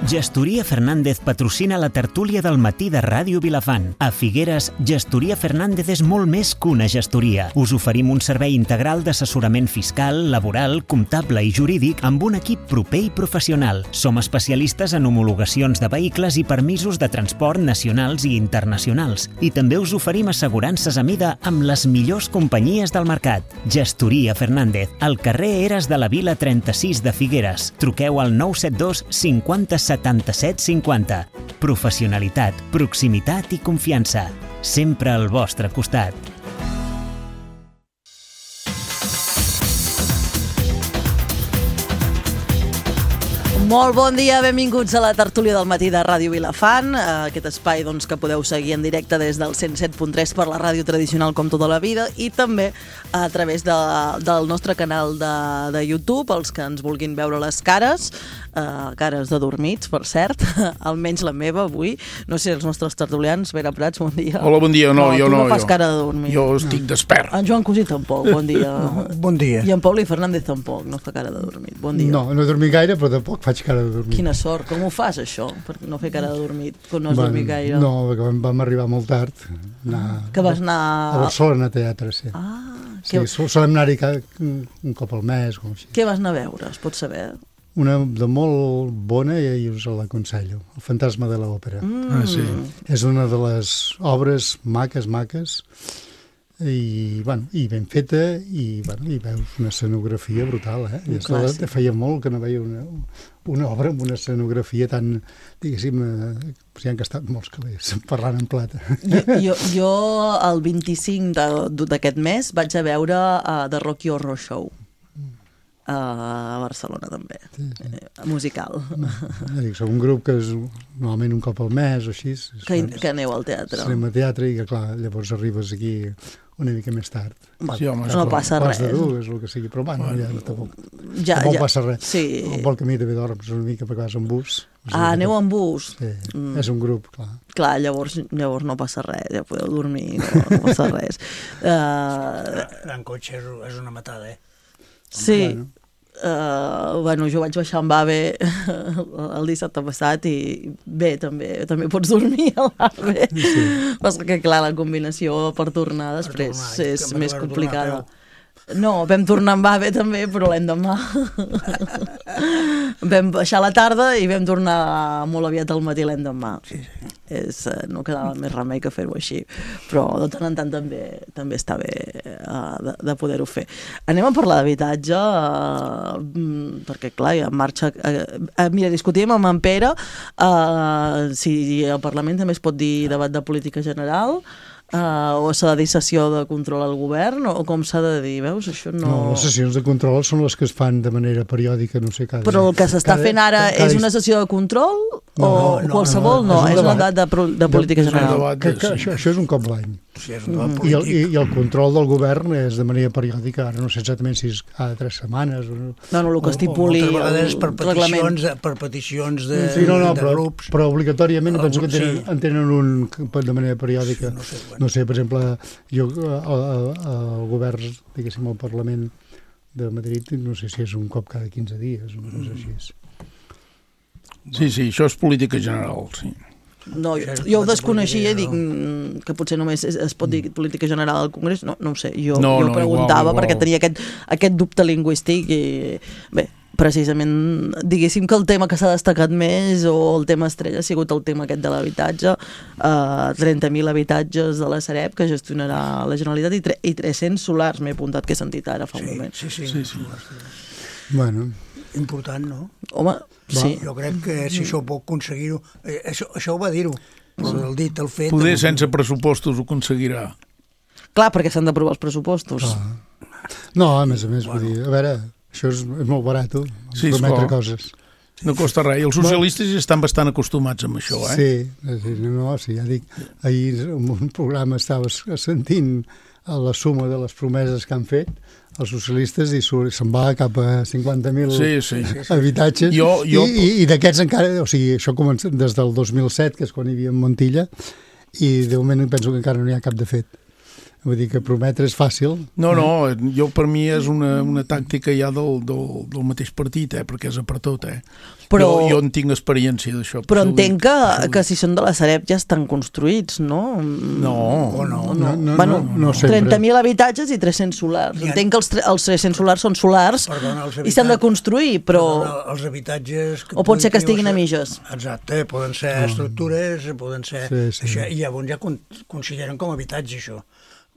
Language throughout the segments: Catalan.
Gestoria Fernández patrocina la tertúlia del matí de Ràdio Vilafant. A Figueres, Gestoria Fernández és molt més que una gestoria. Us oferim un servei integral d'assessorament fiscal, laboral, comptable i jurídic amb un equip proper i professional. Som especialistes en homologacions de vehicles i permisos de transport nacionals i internacionals. I també us oferim assegurances a mida amb les millors companyies del mercat. Gestoria Fernández, al carrer Eres de la Vila 36 de Figueres. Truqueu al 972 50 77 50. Professionalitat, proximitat i confiança. Sempre al vostre costat. Molt bon dia, benvinguts a la tertúlia del matí de Ràdio Vilafant, aquest espai que podeu seguir en directe des del 107.3 per la ràdio tradicional com tota la vida i també a través del nostre canal de YouTube, els que ens vulguin veure les cares de dormits, per cert, almenys la meva avui. No sé, els nostres tertulians, Vera Prats, bon dia. Hola, bon dia. No, jo tu no fas cara de dormir. Jo estic despert. En Joan Cosí tampoc, bon dia. Bon dia. I en Pauli Fernández tampoc, no fa cara de dormir. Bon dia. No he dormit gaire, però tampoc faig cara de dormir. Quina sort, com ho fas això, per no fer cara de dormit, quan no has dormit gaire? No, perquè vam arribar molt tard. Que vas anar... A Barcelona, a teatre, sí. Sí, solem anar-hi un cop al mes, com així. Què vas anar a veure, es pot saber? Una de molt bona i us l'aconsello, El fantasma de l'òpera. Sí. És una de les obres maques, i ben feta, i veus una escenografia brutal, feia molt que no veia una obra amb una escenografia tan, diguéssim, s'hi han gastat molts calés parlant en plata. Jo el 25 d'aquest mes vaig a veure The Rocky Horror Show a Barcelona també, musical. Som un grup que és normalment un cop al mes o així. Que aneu al teatre. Anem a teatre i clar, llavors arribes aquí una mica més tard. No passa res. Pas de dur, és el que sigui, però tampoc passa res. Sí. Al vol camí també dorms una mica perquè vas en bus. Aneu en bus? Sí, és un grup, clar. Clar, llavors no passa res, ja podeu dormir, no passa res. Anar en cotxe és una matada, Sí. Jo vaig baixar amb AVE el dissabte passat i bé, també pots dormir a l'AVE. Sí. Perquè clar, la combinació per tornar després és més complicada. No, vam tornar amb AVE també, però l'endemà vam baixar a la tarda i vam tornar molt aviat al matí l'endemà. No quedava més remei que fer-ho així, però de tant en tant també està bé de poder-ho fer. Anem a parlar d'habitatge, perquè clar, en marxa... Mira, discutíem amb en Pere si al Parlament també es pot dir debat de política general, o s'ha de dir sessió de control al govern, o com s'ha de dir, veus? Això no... No, les sessions de control són les que es fan de manera periòdica, no sé, Però el que s'està fent ara és una sessió de control? O qualsevol? No, és un debat de política general. Això és un cop l'any. I el control del govern és de manera periòdica, ara no sé exactament si és cada 3 setmanes o... No, el que estipuli el reglament. Per peticions de grups. Però obligatòriament penso que en tenen un de manera periòdica. No sé, per exemple, jo el govern, diguéssim, al Parlament de Madrid, no sé si és un cop cada 15 dies, una cosa així. Sí, això és política general, sí. No, jo ho desconeixia i dic que potser només es pot dir política general al Congrés, no ho sé, jo preguntava igual. Perquè tenia aquest dubte lingüístic i bé, precisament diguéssim que el tema que s'ha destacat més o el tema estrella ha sigut el tema aquest de l'habitatge, 30.000 habitatges de la Sareb que gestionarà la Generalitat i 300 solars, m'he apuntat que he sentit ara fa un moment. Sí. Bueno... Important, no? Home, sí. Jo crec que si això pot aconseguir-ho... Això ho va dir-ho, però el dit, el fet... Poder sense pressupostos ho aconseguirà. Clar, perquè s'han d'aprovar els pressupostos. No, a més, vull dir, a veure, això és molt barat, prometre coses. No costa res, i els socialistes estan bastant acostumats amb això, Sí, ja dic, ahir en un programa estaves sentint la suma de les promeses que han fet els socialistes i se'n va cap a 50.000 habitatges i d'aquests encara, o sigui, això comença des del 2007, que és quan hi havia en Montilla, i de moment penso que encara no hi ha cap de fet. Vull dir que prometre és fàcil. No, jo per mi és una tàctica ja del mateix partit, perquè és per tot, Però, jo en tinc experiència d'això. Però entenc que si són de la Sareb ja estan construïts, no? No sempre. 30.000 habitatges i 300 solars. Entenc que els 300 solars són solars i s'han de construir, però... Els habitatges... O pot ser que estiguin a mitges. Exacte, poden ser estructures, poden ser... Això, i llavors ja consideren com a habitatge, això.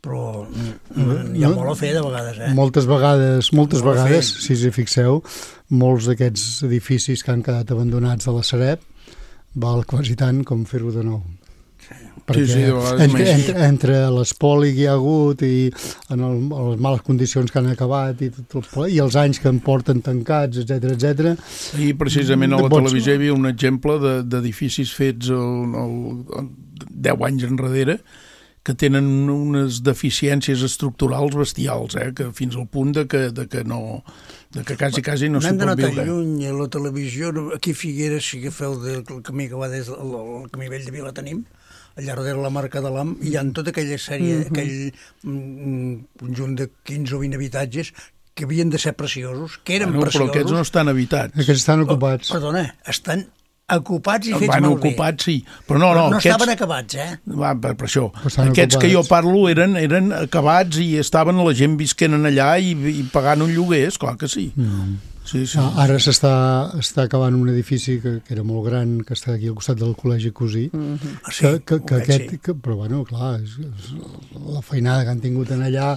Però hi ha molt a fer de vegades, Moltes vegades, si us hi fixeu, molts d'aquests edificis que han quedat abandonats de la Sareb val quasi tant com fer-ho de nou. Perquè entre l'espoli que hi ha hagut i en les males condicions que han acabat i els anys que en porten tancats, etc. I precisament a la televisió hi havia un exemple d'edificis fets 10 anys enrere que tenen unes deficiències estructurals bestials, que fins al punt de que quasi no s'hi pot viure. N'hem d'anar tan lluny a la televisió, aquí a Figueres, si agafeu el camí que va des del camí vell de Vila tenim, allà darrere la marca de l'AM, hi ha tota aquella sèrie, aquell conjunt de 15 o 20 habitatges que havien de ser preciosos, que eren preciosos. Però aquests no estan habitats. Aquests estan ocupats. Perdona, estan ocupats i fets malbé. Ocupats, sí. Però no estaven acabats, per això. Aquests que jo parlo eren acabats i estaven la gent visquent allà i pagant un lloguer, esclar que sí. Sí. Ara s'està acabant un edifici que era molt gran, que està aquí al costat del Col·legi Cosí, però bueno, clar, la feinada que han tingut en allà,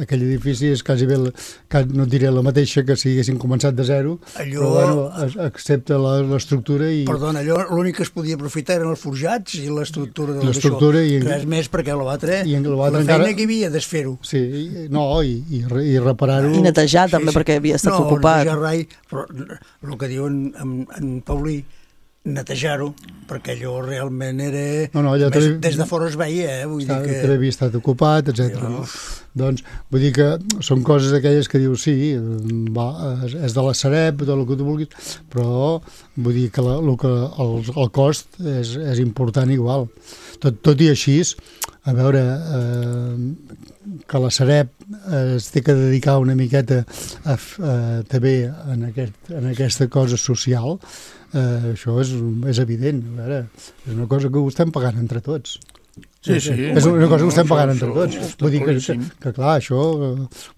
aquell edifici és quasi bé, no et diré la mateixa que si haguessin començat de zero, però bueno, accepta l'estructura i... Perdona, allò l'únic que es podia aprofitar eren els forjats i l'estructura d'això. Res més perquè l'altre, la feina que hi havia desfer-ho. Sí, i reparar-ho. I netejar també, perquè havia estat ocupat. No, rai, però el que diu en Paulí, netejar-ho, perquè allò realment era... Des de fora es veia, vull dir que... També havia estat ocupat, etc. Doncs, vull dir que són coses aquelles que dius, sí, és de la Sareb, tot el que tu vulguis, però vull dir que el cost és important igual. Tot i així, a veure, que la Sareb es té que dedicar una miqueta també en aquesta cosa social, això és evident. A veure, és una cosa que ho estem pagant entre tots. Sí. És una cosa que ho estem pagant entre tots. Vull dir que clar, això,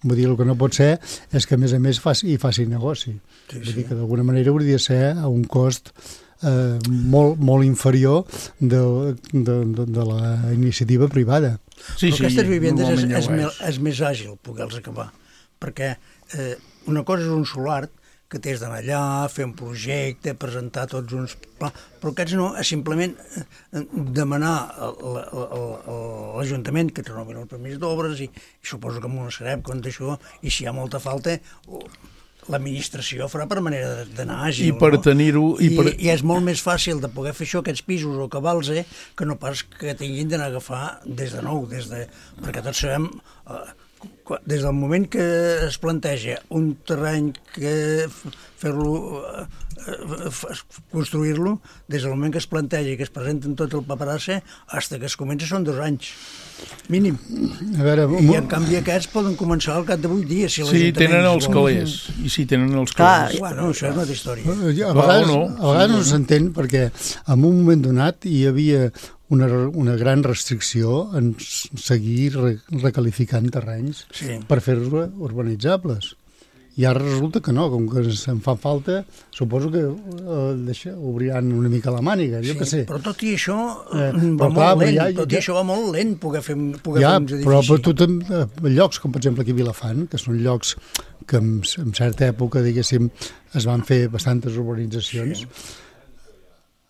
vull dir, el que no pot ser és que a més faci negoci. Vull dir que d'alguna manera hauria de ser a un cost molt inferior de la iniciativa privada. Però aquestes vivendes és més àgil poder-les acabar, perquè una cosa és un solar que tens d'anar allà, fer un projecte, presentar tots uns plans, però aquests no, és simplement demanar a l'Ajuntament que renovin el permís d'obres i suposo que amb una Sareb, quan això, i si hi ha molta falta, l'administració farà per manera d'anar àgil. I per tenir-ho... I és molt més fàcil de poder fer això, aquests pisos o cabals, que no pas que tinguin d'anar a agafar des de nou, perquè tots sabem... Des del moment que es planteja un terreny que fer-lo, construir-lo, des del moment que es planteja i que es presenten tot el paperassa, fins que es comença són 2 anys, mínim. I en canvi aquests poden començar al cap de 8 dies. Sí, tenen els calés. I sí, tenen els calés. Bueno, això és una altra història. A vegades no s'entén perquè en un moment donat hi havia una gran restricció en seguir recalificant terrenys per fer-los urbanitzables. I ara resulta que no, com que se'n fa falta, suposo que obriran una mica la màniga, jo què sé. Però tot i això va molt lent, poder fer uns edificis. Però tu llocs com per exemple aquí a Vilafant, que són llocs que en certa època, diguéssim, es van fer bastantes urbanitzacions,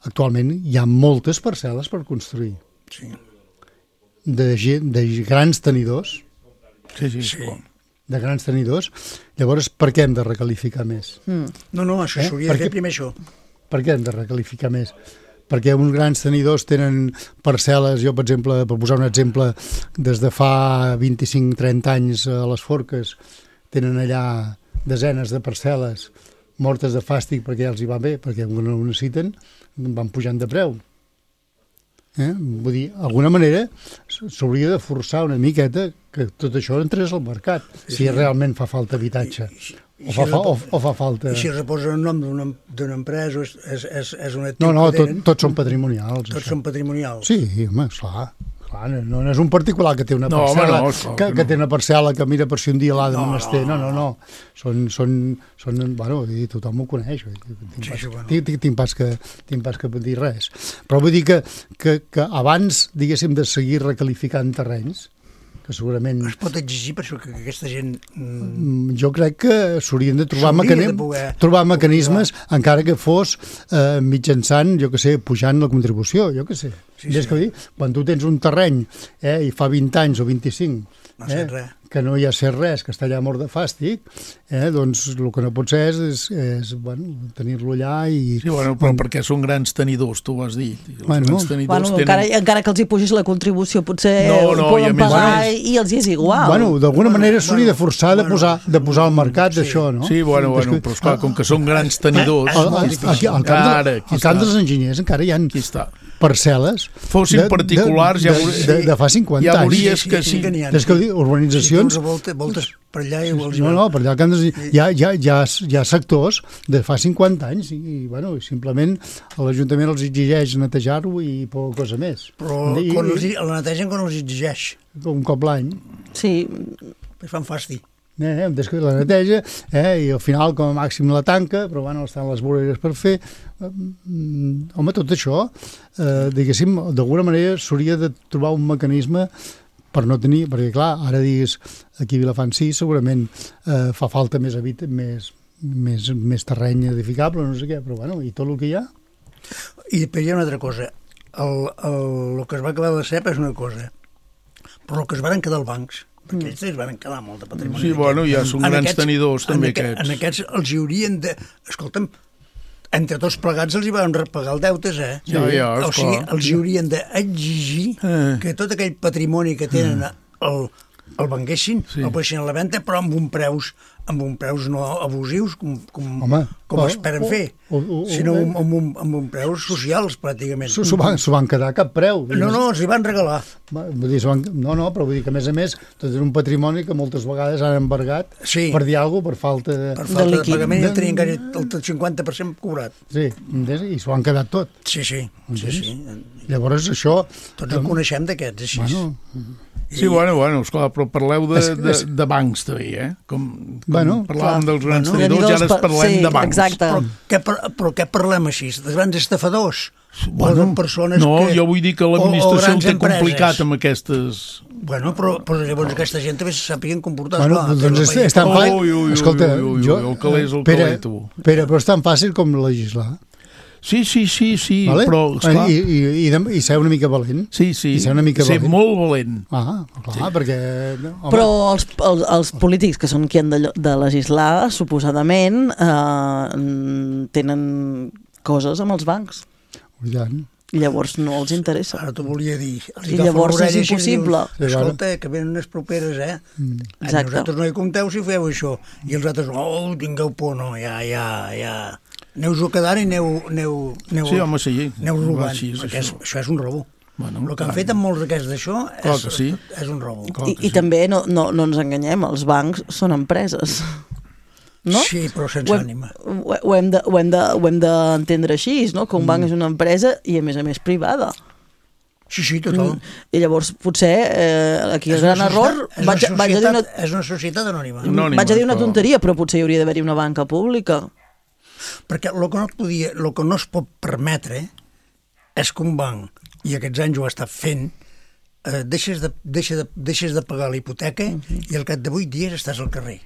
actualment hi ha moltes parcel·les per construir. Sí. De grans tenidors. Sí. De grans tenidors. Llavors, per què hem de recalificar més? No, això s'hauria de fer primer això. Per què hem de recalificar més? Perquè uns grans tenidors tenen parcel·les, jo, per exemple, per posar un exemple, des de fa 25-30 anys a les Forques, tenen allà desenes de parcel·les mortes de fàstic perquè ja els hi va bé, perquè no ho necessiten, van pujant de preu. Vull dir, d'alguna manera s'hauria de forçar una miqueta que tot això entrés al mercat, si realment fa falta habitatge. O fa falta... I si reposa el nom d'una empresa, és un actiu No, que tenen... tots són patrimonials. Tots són patrimonials. Sí, home, esclar. No és un particular que té una parcel·la, que té una parcel·la que mira per si un dia l'ha de menester. No. Són bueno, tothom ho coneix. Tinc pas que dir res. Però vull dir que abans, diguéssim, de seguir recalificant terrenys, que segurament... Es pot exigir per això que aquesta gent... Jo crec que s'haurien de trobar mecanismes, encara que fos mitjançant, jo que sé, pujant la contribució, jo que sé. És que dir, quan tu tens un terreny i fa 20 anys o 25 que no hi ha ser res, que està allà mort de fàstic, doncs el que no pot ser és tenir-lo allà i... Sí, però perquè són grans tenidors, tu ho has dit. Encara que els hi pugis la contribució, potser ho poden pagar i els hi és igual. D'alguna manera s'hauria de forçar de posar al mercat això, no? Sí, però esclar, com que són grans tenidors... Al camp dels enginyers encara hi ha parcel·les fossin particulars de fa 50 anys. Ja veuries que sí. És que urbanitzacions... Voltes per allà i vols... No, per allà hi ha sectors de fa 50 anys i simplement l'Ajuntament els exigeix netejar-ho i poca cosa més. Però la netegen quan els exigeix. Un cop l'any. Sí. Es fan fàstic. La neteja i al final com a màxim la tanca, però estan les voreres per fer. Home, tot això, diguéssim, d'alguna manera s'hauria de trobar un mecanisme per no tenir, perquè clar, ara digues aquí a Vilafant sí, segurament fa falta més terreny edificable, no sé què, però i tot el que hi ha. I després hi ha una altra cosa, el que es va acabar de CEP és una cosa, però el que es van quedar els bancs, perquè ells es van quedar molt de patrimoni. Sí, ja són grans tenidors també aquests. En aquests els hi haurien de... Escolta'm, entre tots plegats els hi van repagar els deutes, O sigui, els hi haurien d'exigir que tot aquell patrimoni que tenen el venguessin, el posessin a la venda, però amb un preus no abusius com esperen fer, sinó amb un preus socials, pràcticament. S'ho van quedar a cap preu. No, els hi van regalar. No, però vull dir que, a més, tot és un patrimoni que moltes vegades han embargat per dir alguna cosa, per falta de pagament, i tenien quasi el 50% cobrat. Sí, i s'ho han quedat tot. Sí. Llavors, això... Tots en coneixem d'aquests, així. Sí, esclar, però parleu de bancs també, Com parlàvem dels grans tenidors, ja ara parlem de bancs. Exacte. Però què parlem així? De grans estafadors? O de persones no, jo vull dir que l'administració ho té complicat amb aquestes... Però llavors aquesta gent també se sàpiguen comportar. Doncs és tan fàcil... Escolta, el calés, tu. Però és tan fàcil com legislar. Sí, però... I ser una mica valent. Sí, ser molt valent. Clar, perquè... Però els polítics, que són qui han de legislar, suposadament, tenen coses amb els bancs. I llavors no els interessa. Ara t'ho volia dir. I llavors és impossible. Escolta, que venen unes properes, Nosaltres no hi compteu si feu això. I els altres, tingueu por, no, ja... Aneu-vos quedant i aneu robant, perquè això és un robo. El que han fet amb molts d'aquests d'això és un robo. I també no ens enganyem, els bancs són empreses. No? Sí, però sense ànima. Ho hem d'entendre així, no? Que un banc és una empresa i a més privada. Sí, total. I llavors potser aquí el gran error... És una societat anònima. Vaig a dir una tonteria, però potser hi hauria d'haver-hi una banca pública. Perquè el que no es pot permetre és que un banc, i aquests anys ho ha estat fent, deixes de pagar la hipoteca i al cap de 8 dies estàs al carrer.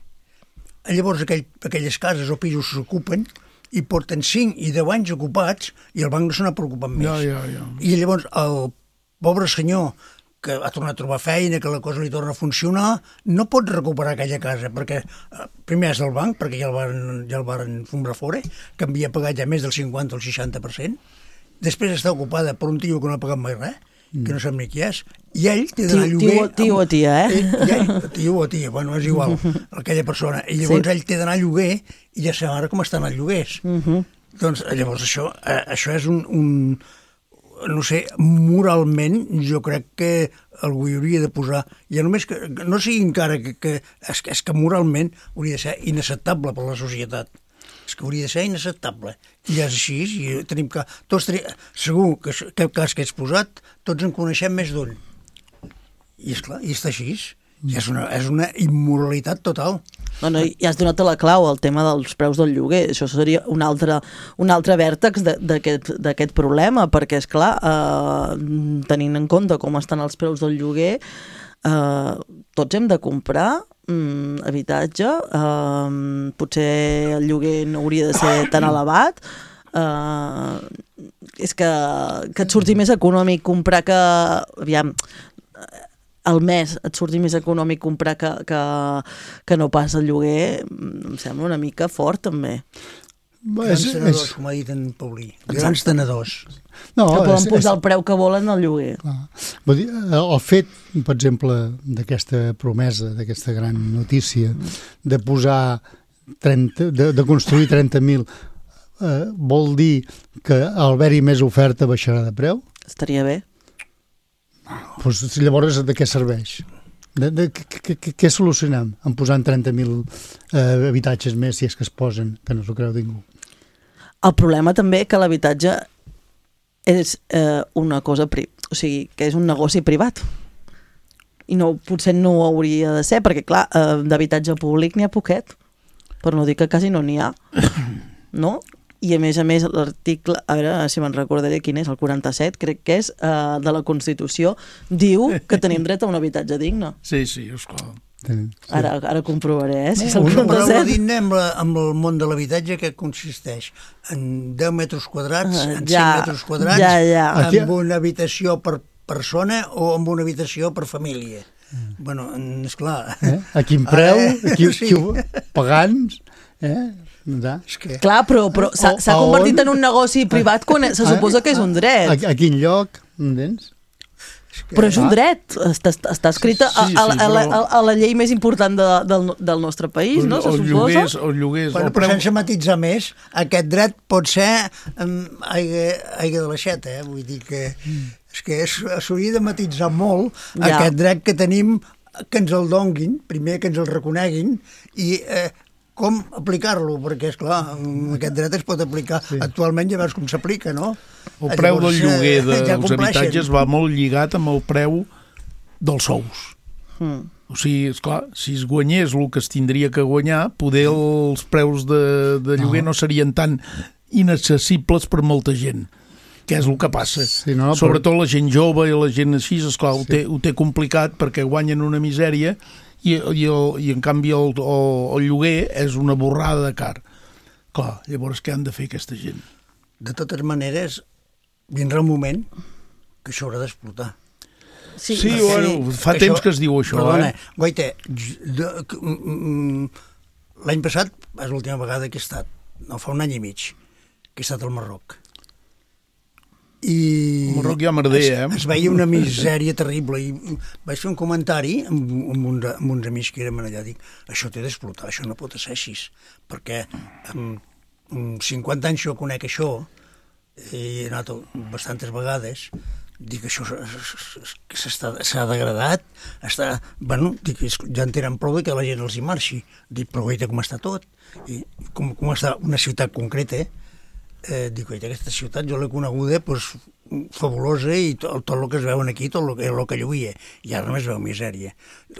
Llavors aquelles cases o pisos s'ocupen i porten 5 i 10 anys ocupats i el banc no se n'ha preocupat més. I llavors el pobre senyor que ha tornat a trobar feina, que la cosa li torna a funcionar, no pot recuperar aquella casa, perquè primer és del banc, perquè ja el varen fombrar fora, que havia pagat ja més del 50 o el 60%, després està ocupada per un tio que no ha pagat mai res, que no sap ni qui és, i ell té d'anar a lloguer... Tio o tia, Tio o tia, bueno, és igual, aquella persona. I llavors ell té d'anar a lloguer, i ja sabem ara com estan els lloguers. Doncs llavors això és no sé, moralment jo crec que algú hi hauria de posar, ja només que no sigui encara que és que moralment hauria de ser inacceptable per la societat. És que hauria de ser inacceptable. I és així, i tenim que... Segur que aquest cas que ets posat, tots en coneixem més d'un. I esclar, i està així. I és una immoralitat total. No, ja has donat la clau, el tema dels preus del lloguer. Això seria un altre vèrtex d'aquest problema, perquè, esclar, tenint en compte com estan els preus del lloguer, tots hem de comprar habitatge, potser el lloguer no hauria de ser tan elevat, és que et surti més econòmic comprar que... Aviam, al mes et surti més econòmic comprar que no pas el lloguer, em sembla una mica fort, també. Grans tenedors, com ha dit en Paulí. Grans tenedors. No, que poden posar el preu que volen al lloguer. Vull dir, el fet, per exemple, d'aquesta promesa, d'aquesta gran notícia, de posar de construir 30.000, vol dir que al haver-hi més oferta baixarà de preu? Estaria bé. Pues, llavors, de què serveix? Què solucionem en posant 30.000 habitatges més, si és que es posen, que no s'ho creu ningú? El problema també que l'habitatge és una cosa, o sigui, que és un negoci privat. I potser no ho hauria de ser, perquè, clar, d'habitatge públic n'hi ha poquet, per no dir que quasi no n'hi ha. No? I a més, l'article, a veure si me'n recordaré quin és, el 47, crec que és, de la Constitució, diu que tenim dret a un habitatge digne. Sí, esclar. Ara comprovaré, si és el 47. Una paraula digna amb el món de l'habitatge que consisteix en 10 metres quadrats, en 5 metres quadrats, amb una habitació per persona o amb una habitació per família. Bueno, esclar. A quin preu, pagant, Clar, però s'ha convertit en un negoci privat quan se suposa que és un dret. A quin lloc, entens? Però és un dret, està escrita a la llei més important del nostre país, no? Se suposa? El lloguer... Però sense matitzar més, aquest dret pot ser aigua de l'aixeta, vull dir que s'hauria de matitzar molt aquest dret que tenim, que ens el donguin, primer que ens el reconeguin, i com aplicar-lo, perquè, esclar, aquest dret es pot aplicar actualment, ja veus com s'aplica, no? El preu del lloguer dels habitatges va molt lligat amb el preu dels sous. O sigui, esclar, si es guanyés el que es tindria que guanyar, poder els preus de lloguer no serien tan inaccessibles per molta gent, que és el que passa. Sobretot la gent jove i la gent així, esclar, ho té complicat perquè guanyen una misèria i en canvi el lloguer és una borrada de car. Clar, llavors què han de fer aquesta gent? De totes maneres, vindrà un moment que això haurà d'explotar. Sí, bueno, fa temps que es diu això. Perdona, Goite, l'any passat és l'última vegada que he estat, no fa un any i mig, que he estat al Marroc. El Marroc ja merder, es veia una misèria terrible i vaig fer un comentari amb uns amics que érem allà, dic, això té d'explotar, això no pot ser així, perquè amb 50 anys jo conec això, he anat bastantes vegades, dic, això s'ha degradat, dic, ja en tenen prou que la gent els hi marxi, dic, però veita com està tot, i com està una ciutat concreta, dic, aquesta ciutat jo l'he coneguda fabulosa i tot el que es veuen aquí, tot el que lluïa, i ara només veu misèria.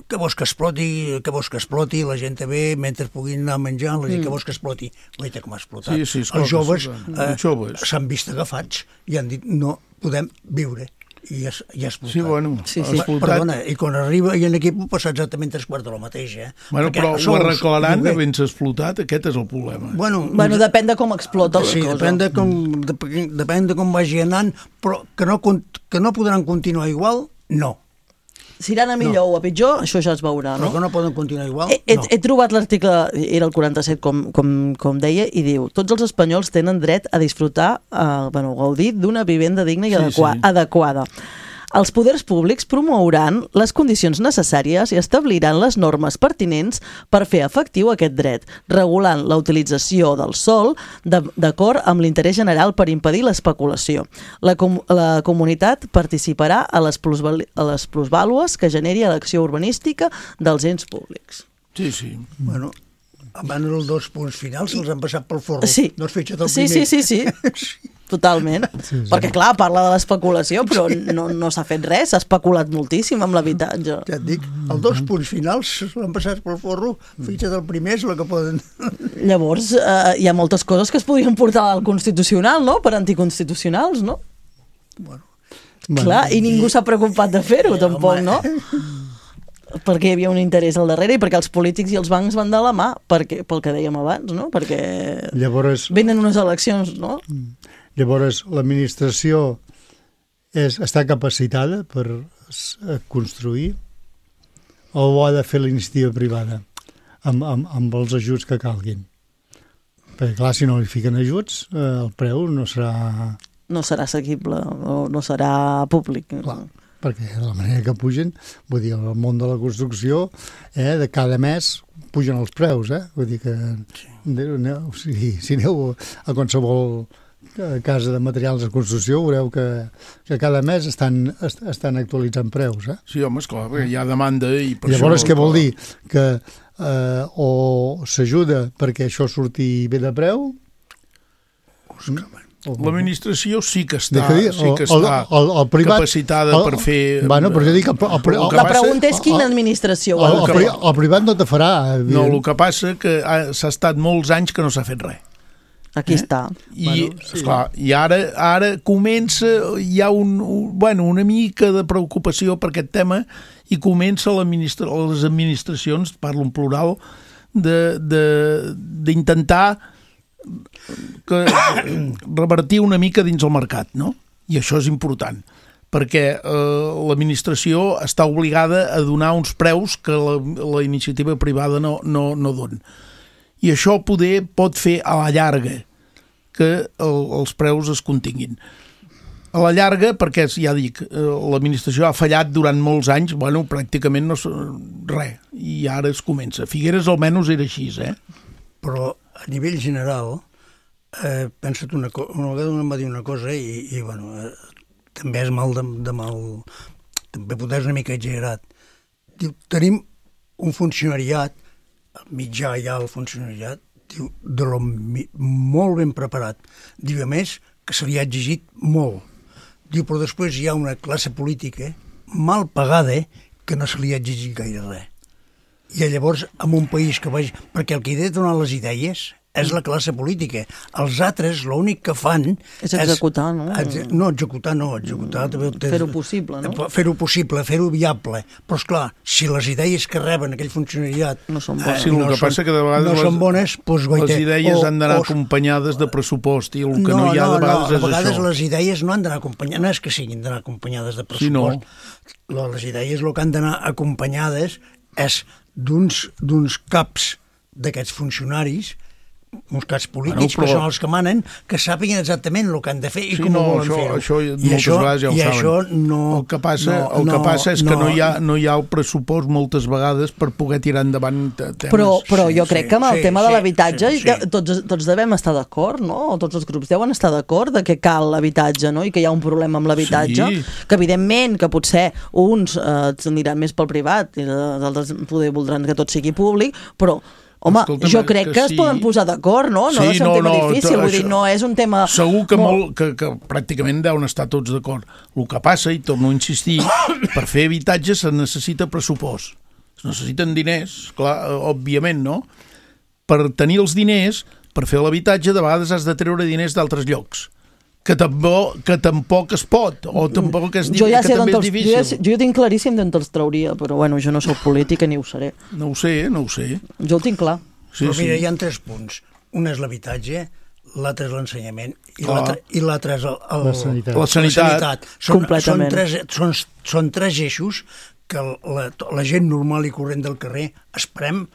Què vols que exploti, la gent ve mentre puguin anar menjant, la gent que vols que exploti, veita com ha explotat. Els joves s'han vist agafats i han dit, no podem viure. I ja ha explotat. Sí, bueno, perdona, i quan arriba i en aquí pot passar exactament 3/4 de lo mateix, Bueno, però ho arreglaran havent-se explotat, aquest és el problema. Bueno, depèn de com explota la cosa. Sí, depèn de com vagi anant, però que no podran continuar igual, no. Si iran a millor o a pitjor, això ja es veurà, no? Però que no poden continuar igual, no. He trobat l'article, era el 47, com deia, i diu, tots els espanyols tenen dret a disfrutar, gaudir d'una vivenda digna i adequada. Els poders públics promouran les condicions necessàries i establiran les normes pertinents per fer efectiu aquest dret, regulant la utilització del sòl d'acord amb l'interès general per impedir l'especulació. La comunitat participarà a les plusvàlues que generi l'acció urbanística dels ens públics. Sí. Bueno, abans els 2 punts finals se'ls han passat pel forro. Sí. No has fitxat el primer. Sí. Totalment. Perquè, clar, parla de l'especulació, però no s'ha fet res, s'ha especulat moltíssim amb l'habitatge. Ja et dic, els 2 punts finals l'han passat pel forro, fitxat el primer és el que poden... Llavors, hi ha moltes coses que es podien portar al Constitucional, no?, per anticonstitucionals, no? Bueno. Clar, i ningú s'ha preocupat de fer-ho, tampoc, no? Perquè hi havia un interès al darrere i perquè els polítics i els bancs van de la mà, pel que dèiem abans, no? Perquè venen unes eleccions, no? Llavors, l'administració està capacitada per construir o ho ha de fer la iniciativa privada amb els ajuts que calguin? Perquè, clar, si no li fiquen ajuts, el preu no serà... No serà assequible o no serà públic. Clar, perquè de la manera que pugen, vull dir, el món de la construcció, de cada mes pugen els preus, Vull dir que si aneu a qualsevol casa de materials de construcció, veureu que cada mes estan actualitzant preus, Sí, home, esclar, perquè hi ha demanda i per llavors, què vol dir? Que o s'ajuda perquè això surti bé de preu? L'administració sí que està capacitada per fer... Bueno, però jo dic... La pregunta és quina administració vol fer. El privat no te farà. No, el que passa que s'ha estat molts anys que no s'ha fet res. Aquí està. I ara comença, hi ha una mica de preocupació per aquest tema i comença les administracions, parlo en plural, d'intentar revertir una mica dins el mercat, no? I això és important, perquè l'administració està obligada a donar uns preus que la iniciativa privada no dona. I això pot fer a la llarga que els preus es continguin. A la llarga, perquè ja dic, l'administració ha fallat durant molts anys, pràcticament res, i ara es comença. Figueres almenys era així, Però a nivell general, pensa't una vegada em va dir una cosa i també és mal de mal, també potser és una mica exagerat. Diu, tenim un funcionariat, mitjà ja el funcionariat, diu, molt ben preparat. Diu, a més, que se li ha exigit molt. Diu, però després hi ha una classe política mal pagada que no se li ha exigit gaire res. I llavors, en un país que vagi... Perquè el que ha de donar les idees és la classe política. Els altres, l'únic que fan... És executar, no? No, executar no. Fer-ho possible, no? Fer-ho possible, fer-ho viable. Però, esclar, si les idees que reben aquell funcionariat no són bones, el que passa que de vegades són bones, doncs, les idees han d'anar acompanyades de pressupost i el que no hi ha de vegades és això. A vegades les idees no han d'anar acompanyades, no és que siguin d'anar acompanyades de pressupost. Les idees el que han d'anar acompanyades és d'uns caps d'aquests funcionaris, uns caps polítics que són els que manen, que sàpiguen exactament el que han de fer i com ho volen fer-ho. Això moltes vegades ja ho saben. El que passa és que no hi ha el pressupost moltes vegades per poder tirar endavant temes. Però jo crec que amb el tema de l'habitatge tots devem estar d'acord, no? O tots els grups deuen estar d'acord de que cal l'habitatge, no? I que hi ha un problema amb l'habitatge, que evidentment que potser uns aniran més pel privat i els altres poder voldran que tot sigui públic, però home, jo crec que es poden posar d'acord, no? No és un tema difícil, vull dir, no és un tema... Segur que pràcticament deuen estar tots d'acord. El que passa, i torno a insistir, per fer habitatge se necessita pressupost. Es necessiten diners, clar, òbviament, no? Per tenir els diners, per fer l'habitatge, de vegades has de treure diners d'altres llocs. Que tampoc es pot, o tampoc és difícil. Jo tinc claríssim d'on te'ls trauria, però bueno, jo no soc política ni ho seré. No ho sé. Jo ho tinc clar. Però mira, hi ha 3 punts. Un és l'habitatge, l'altre és l'ensenyament i l'altre és la sanitat. Completament. Són 3 eixos que la gent normal i corrent del carrer esperem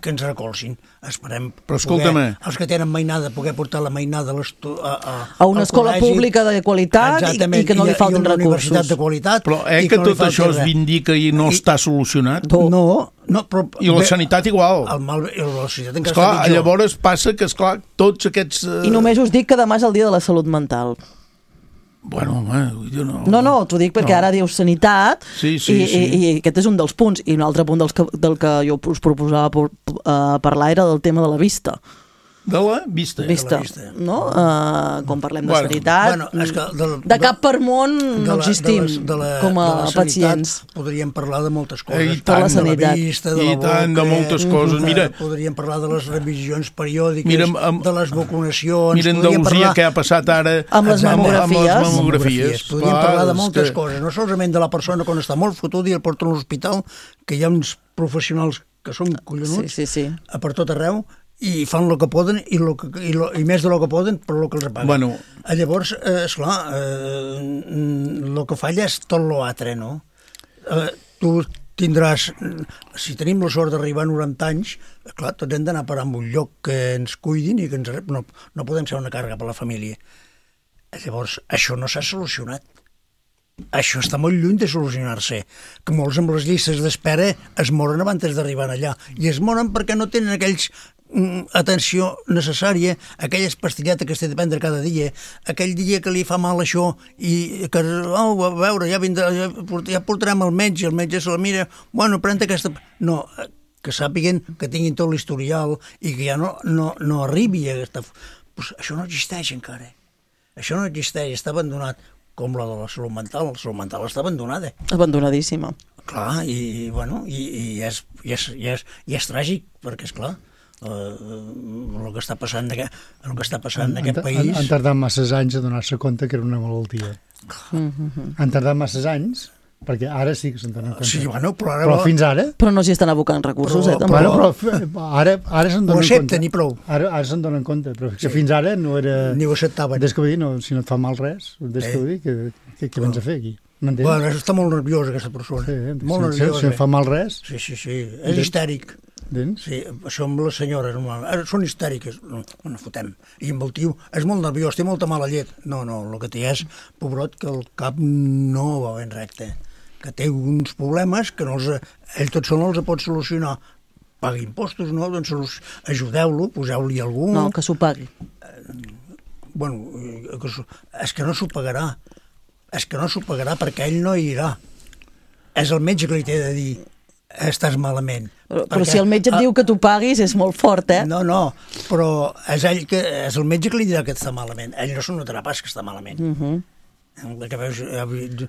que ens recolzin. Esperem els que tenen mainada, poder portar la mainada a una escola pública de qualitat i que no li falten recursos. Universitat de qualitat. Però que tot això es vindica i no està solucionat? No, però... I la sanitat igual. La sanitat encara està pitjor. Llavors passa que, esclar, tots aquests... I només us dic que demà és el dia de la salut mental. Bueno, home, jo no... No, t'ho dic perquè ara dius sanitat i aquest és un dels punts. I un altre punt del que jo us proposava parlar era del tema de la vista. De la vista. No? Quan parlem de sanitat, de cap per món no existim com a pacients. Podríem parlar de moltes coses. De la sanitat. I tant, de moltes coses. Mira, podríem parlar de les revisions periòdiques, de les vacunacions. Mira Andalusia, què ha passat ara amb les mamografies. Podríem parlar de moltes coses, no solament de la persona quan està molt fotuda i el porta a l'hospital, que hi ha uns professionals que són collonuts per tot arreu, i fan el que poden i més de lo que poden per lo que els paguen. Bueno. Llavors, esclar, el que falla és tot l'altre, no? Tu tindràs, si tenim la sort d'arribar a 90 anys, clar, tots hem d'anar a parar en un lloc que ens cuidin i que no podem ser una càrrega per a la família. Llavors, això no s'ha solucionat. Això està molt lluny de solucionar-se, que molts amb les llistes d'espera es moren abans d'arribar allà, i es moren perquè no tenen aquells atenció necessària, aquelles pastilletes que s'ha de prendre cada dia, aquell dia que li fa mal això i que, a veure, ja portarem al metge, el metge se la mira, bueno, pren aquesta... No, que sàpiguen que tinguin tot l'historial i que ja no arribi a aquesta... Pues això no existeix encara. Això no existeix, està abandonat. Com la de la salut mental està abandonada. Abandonadíssima. Clar, i és tràgic, perquè, esclar, el que està passant en aquest país... Han tardat masses anys a donar-se compte que era una malaltia. Han tardat masses anys, perquè ara sí que se'n donen compte. Sí, bueno, però fins ara... Però no s'hi estan abocant recursos, també. Però ara se'n donen compte. Ho accepten i prou. Ara se'n donen compte, però que fins ara no era... Ni ho acceptaven. Des que vull dir, si no et fa mal res, des que vull dir, què vens a fer aquí? M'entens? Bueno, està molt nerviosa aquesta persona. Molt nerviosa. Si no fa mal res... Sí, és histèric. Sí, això amb les senyores són histèriques, no fotem. I amb el tio és molt nerviós, té molta mala llet. No, el que té és, pobrot, que el cap no va ben recte, que té uns problemes que ell tot sol no els pot solucionar. Pagui impostos, no? Doncs ajudeu-lo, poseu-li algú... No, que s'ho pagui. Bueno, és que no s'ho pagarà. És que no s'ho pagarà perquè ell no hi irà. És el metge que li té de dir estàs malament. Però si el metge et diu que tu paguis és molt fort, eh? No, però és el metge que li dirà que està malament. Ell no s'ho notarà pas que està malament.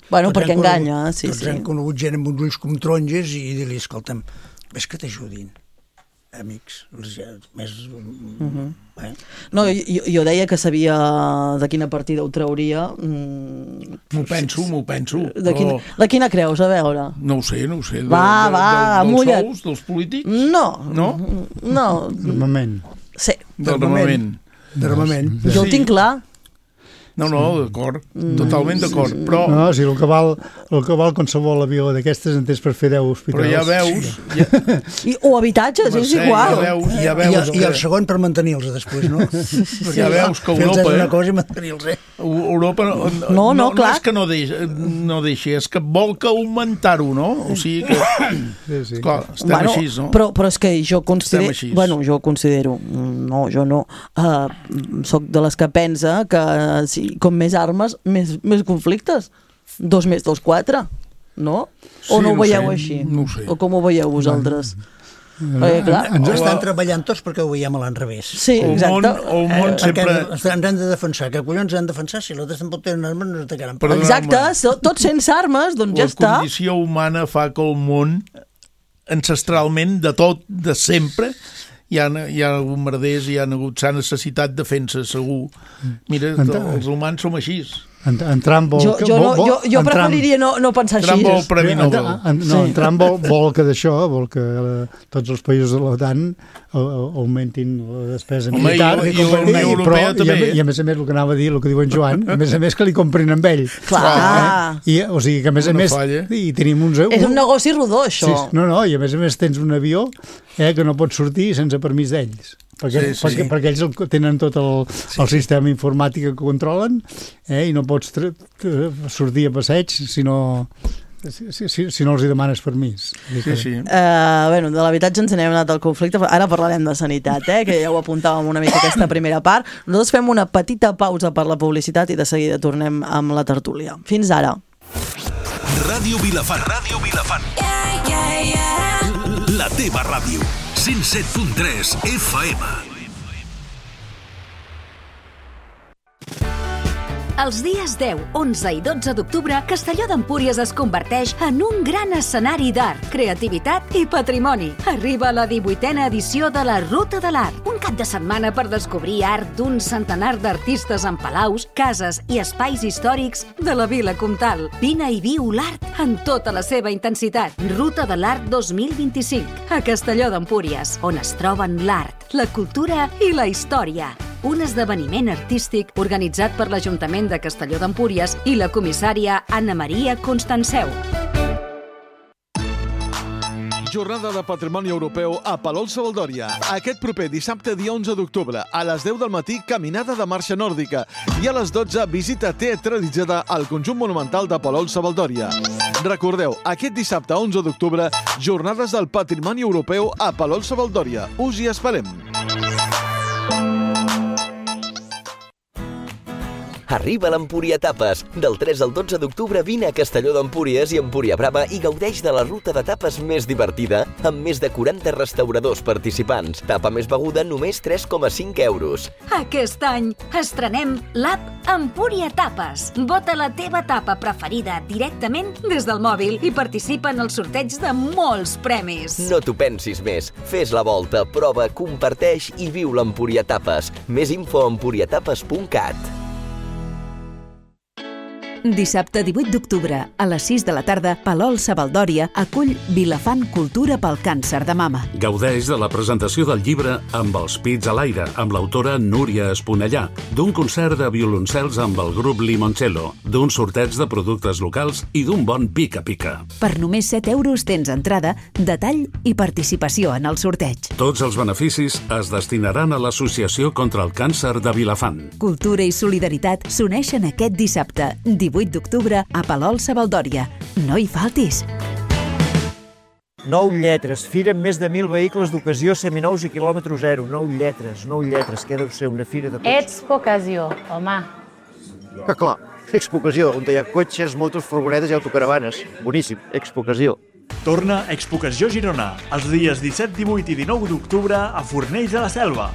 Bueno, perquè enganya, sí. Tots hem conegut gent amb uns ulls com taronges i dir-li, escolta'm, ves que t'ajudin, amics, més... No, jo deia que sabia de quina partida ho trauria. M'ho penso. De quina creus, a veure? No ho sé. Va, amulla't. Dels sous, dels polítics? No. D'armament. Sí. D'armament. Jo ho tinc clar. No, d'acord, totalment d'acord, però... No, si el que val qualsevol avió d'aquestes en tens per fer 10 hospitals. Però ja veus... O habitatges, és igual. Ja veus I el segon per mantenir-los després, no? Ja veus que Europa... Fer una cosa i mantenir-los, Europa no és que no deixi, és que vol que augmentar-ho, no? O sigui que... Sí. Clar, estem així, no? Però és que jo considero... Bueno, jo considero... No, jo no. Soc de les que pensa que com més armes, més conflictes. 2 més 2, 4, no? O no ho veieu així? No ho sé. O com ho veieu vosaltres? Perquè, clar... Estan treballant tots perquè ho veiem a l'enrevés. Sí, exacte. El món sempre... Ens han de defensar. Que collons han de defensar? Si l'altre tampoc tenen armes, no ens atacaran. Exacte, tots sense armes, doncs ja està. La condició humana fa que el món, ancestralment, de tot, de sempre... Hi ha bombarders, s'ha necessitat defensa, segur. Mira, els humans som així. Entrant vol... Jo preferiria no pensar així. Entrant vol Premi Nobel. Entrant vol que d'això, vol que tots els països de l'OTAN augmentin la despesa militar. I la Unió Europea també. I a més, el que anava a dir, el que diu en Joan, a més que li comprin amb ell. Clar. O sigui que a més, i tenim uns... És un negoci rodó, això. I a més tens un avió que no pot sortir sense permís d'ells. Perquè ells tenen tot el sistema informàtic que controlen i no pots sortir a passeig si no els hi demanes permís. De l'habitatge ens n'hem anat al conflicte, ara parlarem de sanitat, que ja ho apuntàvem una mica aquesta primera part. Nosaltres fem una petita pausa per la publicitat i de seguida tornem amb la tertúlia. Fins ara. Ràdio Vilafant. La teva ràdio. 107.3 FM. Els dies 10, 11 i 12 d'octubre, Castelló d'Empúries es converteix en un gran escenari d'art, creativitat i patrimoni. Arriba la 18a edició de la Ruta de l'Art, un cap de setmana per descobrir art d'un centenar d'artistes en palaus, cases i espais històrics de la Vila Comtal. Vine i viu l'art en tota la seva intensitat. Ruta de l'Art 2025, a Castelló d'Empúries, on es troben l'art, la cultura i la història. Un esdeveniment artístic organitzat per l'Ajuntament de Castelló d'Empúries i la comissària Anna Maria Constanceu. Jornada de Patrimoni Europeu a Palol-Savaldòria. Aquest proper dissabte, dia 11 d'octubre, a les 10 del matí, caminada de marxa nòrdica. I a les 12, visita teatralitzada al conjunt monumental de Palol-Savaldòria. Recordeu, aquest dissabte 11 d'octubre, Jornades del Patrimoni Europeu a Palol-Savaldòria. Us hi esperem. Arriba l'Empúria Tapes. Del 3 al 12 d'octubre vine a Castelló d'Empúries i Empúria Brava i gaudeix de la ruta de tapes més divertida amb més de 40 restauradors participants. Tapa més beguda, només 3,5 euros. Aquest any estrenem l'app Empúria Tapes. Vota la teva tapa preferida directament des del mòbil i participa en el sorteig de molts premis. No t'ho pensis més. Fes la volta, prova, comparteix i viu l'Empúria Tapes. Més info a empuriatapes.cat. Dissabte 18 d'octubre, a les 6 de la tarda, Palol-Savaldòria acull Vilafant Cultura pel càncer de mama. Gaudeix de la presentació del llibre Amb els pits a l'aire, amb l'autora Núria Esponellà, d'un concert de violoncels amb el grup Limoncello, d'un sorteig de productes locals i d'un bon pica-pica. Per només 7 euros tens entrada, detall i participació en el sorteig. Tots els beneficis es destinaran a l'Associació contra el Càncer de Vilafant. Cultura i solidaritat s'uneixen aquest dissabte, 18 d'octubre, a Palol-Savaldòria. No hi faltis! 9 lletres, fira amb més de 1.000 vehicles d'ocasió seminous i quilòmetre zero. 9 lletres, que deu ser una fira de tots. Expo-ocasió, home. Que clar, Expo-ocasió, on hi ha cotxes, motos, furgonetes i autocaravanes. Boníssim, Expo-ocasió. Torna Expo-ocasió Girona, els dies 17, 18 i 19 d'octubre a Fornells de la Selva.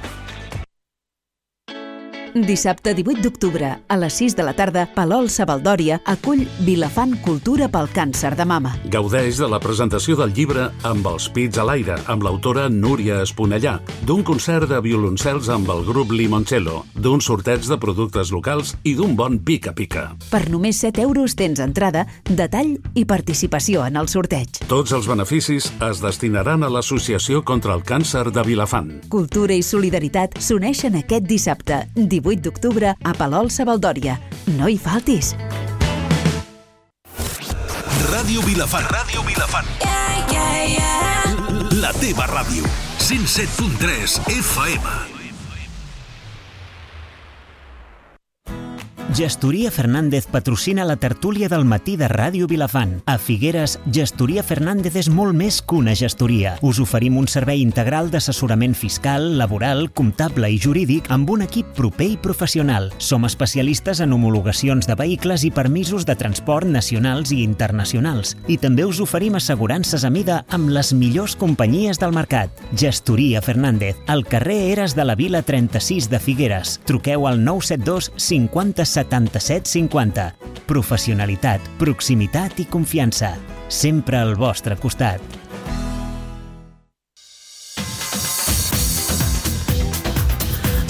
Dissabte 18 d'octubre, a les 6 de la tarda, Palol-Savaldòria acull Vilafant Cultura pel càncer de mama. Gaudeix de la presentació del llibre Amb els pits a l'aire, amb l'autora Núria Esponellà, d'un concert de violoncels amb el grup Limoncello, d'un sorteig de productes locals i d'un bon pica-pica. Per només 7 euros tens entrada, detall i participació en el sorteig. Tots els beneficis es destinaran a l'Associació contra el Càncer de Vilafant. Cultura i solidaritat s'uneixen aquest dissabte, 18 d'octubre, a Palol-Savaldòria. No hi faltis! Ràdio Vilafant. La teva ràdio. 107.3 FM. Gestoria Fernández patrocina la tertúlia del matí de Ràdio Vilafant. A Figueres, Gestoria Fernández és molt més que una gestoria. Us oferim un servei integral d'assessorament fiscal, laboral, comptable i jurídic amb un equip proper i professional. Som especialistes en homologacions de vehicles i permisos de transport nacionals i internacionals. I també us oferim assegurances a mida amb les millors companyies del mercat. Gestoria Fernández, al carrer Eres de la Vila 36 de Figueres. Truqueu al 972 50 77 50. Professionalitat, proximitat i confiança. Sempre al vostre costat.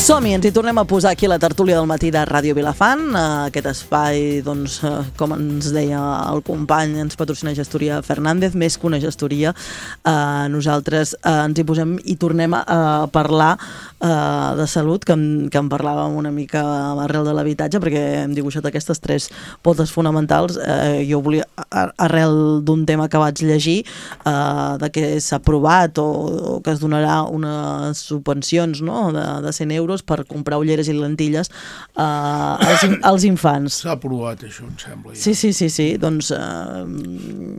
Som-hi, ens hi tornem a posar aquí a la tertúlia del matí de Ràdio Vilafant. Aquest espai, doncs, com ens deia el company, ens patrocina Gestoria Fernández, més que una gestoria. Nosaltres ens hi posem i tornem a parlar de salut, que en parlàvem una mica arrel de l'habitatge, perquè hem dibuixat aquestes 3 potes fonamentals. Jo volia, arrel d'un tema que vaig llegir, de que s'ha aprovat o que es donarà unes subvencions, no?, de 100 euros per comprar ulleres i lentilles als infants. S'ha aprovat això, em sembla. Ja. Sí. Doncs,